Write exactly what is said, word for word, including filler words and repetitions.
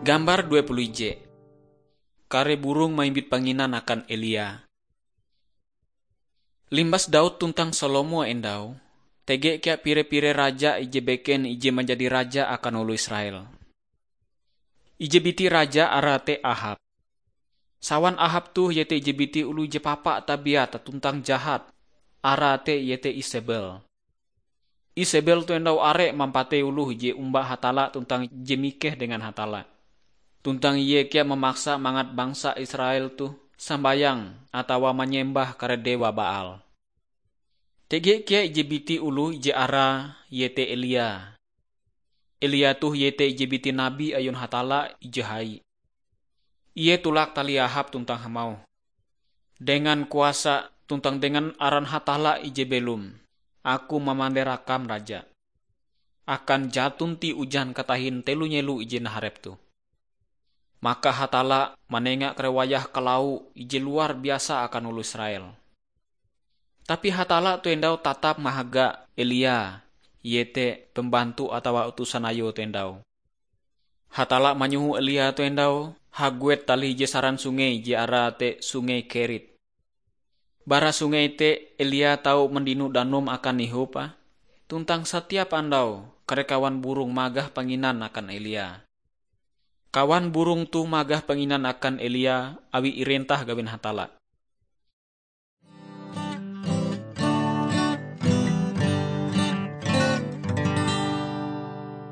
Gambar dua puluh ije. Kare burong maimbit panginan akan Elia. Limbas Daud tuntang Salomo endau, tege kea pire-pire raja ije beken ije manjadi raja akan oloh Israel. Ije biti raja arae te Ahab. Sawan Ahab toh iete ije biti oloh je papa tabiat tuntang jahat, arae te iete Isebel. Isebel toh endau are mampatei oloh je omba Hatalla tuntang je mikeh dengan Hatalla. Tuntang ie kea mamaksa mangat bangsa Israel toh sambayang atawa manyembah kare dewa Baal. Tege kea ije biti oloh je arae iete Elia. Elia toh iete ije biti nabi ayun Hatalla ije hai. Ie tulak talih Ahab tuntang hamauh, "Dengan kuasa tuntang dengan aran Hatalla ije belom, aku mamandera kam raja. Akan jaton ti ujan katahin telo nyelo ije naharep toh." Maka Hatalla manenga kare wayah kalau ije luar biasa akan oloh Israel. Tapi Hatalla toh endau tatap mahaga Elia, iete pembantu atawa utusan Ayue toh endau. Hatalla manyoho Elia toh endau haguet talih ije saran sungei je arae te Sungei Kerit. Bara sungei te Elia tau mandino danum akan ihope, tuntang satiap andau kare kawan burong magah panginan akan Elia. Kawan burong toh magah panginan akan Elia awi irentah gawin Hatalla.